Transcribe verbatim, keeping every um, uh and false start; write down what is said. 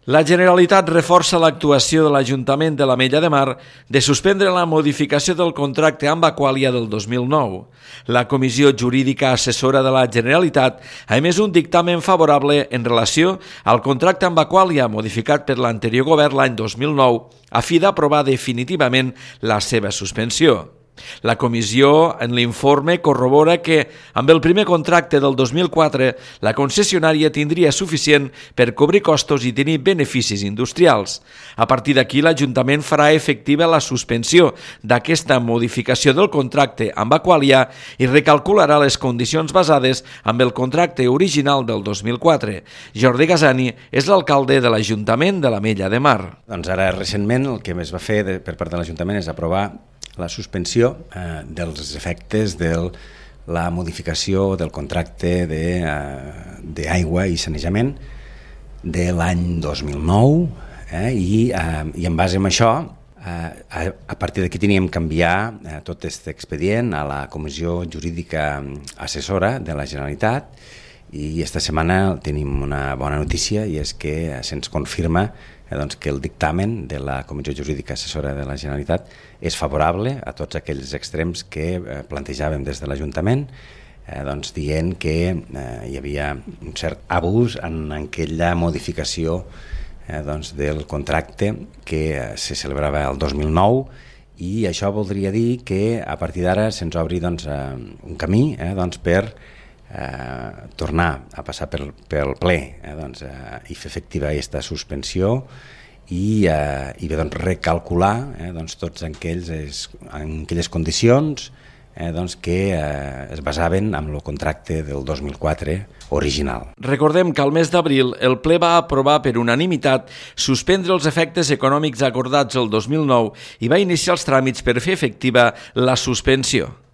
La Generalitat reforça l'actuació de l'Ajuntament de l'Ametlla de Mar de suspendre la modificació del contracte amb Aqualia del dos mil nou. La Comissió Jurídica Assessora de la Generalitat ha emès un dictamen favorable en relació al contracte amb Aqualia modificat per l'anterior govern l'any dos mil nou a fi d'aprovar definitivament la seva suspensió. La comissió, en l'informe, corrobora que, amb el primer contracte del dos mil quatre, la concessionària tindria suficient per cobrir costos i tenir beneficis industrials. A partir d'aquí, l'Ajuntament farà efectiva la suspensió d'aquesta modificació del contracte amb Aqualia i recalcularà les condicions basades amb el contracte original del dos mil quatre. Jordi Gasani és l'alcalde de l'Ajuntament de l'Ametlla de Mar. Doncs ara, recentment, el que es va fer de, per part de l'Ajuntament és aprovar la suspensió eh, dels efectes de la modificació del contracte d'aigua de, eh, i sanejament de l'any dos mil nou eh, i, eh, i en base a això, eh, a, a partir d'aquí teníem que enviar eh, tot aquest expedient a la Comissió Jurídica Assessora de la Generalitat i esta setmana tenim una bona notícia i és que se'ns confirma Eh, doncs que el dictamen de la Comissió Jurídica Assessora de la Generalitat és favorable a tots aquells extrems que eh, plantejàvem des de l'Ajuntament, eh, doncs dient que eh, hi havia un cert abús en aquella modificació eh, doncs del contracte que eh, se celebrava el dos mil nou i això voldria dir que a partir d'ara se'ns obri doncs, eh, un camí eh, doncs, per Eh, tornar a passar pel, pel ple eh, doncs, eh, i fer efectiva aquesta suspensió i, eh, i bé, doncs, recalcular eh, doncs, tots aquells, en aquelles condicions eh, doncs, que eh, es basaven en el contracte del dos mil quatre original. Recordem que al mes d'abril el ple va aprovar per unanimitat suspendre els efectes econòmics acordats el dos mil nou i va iniciar els tràmits per fer efectiva la suspensió.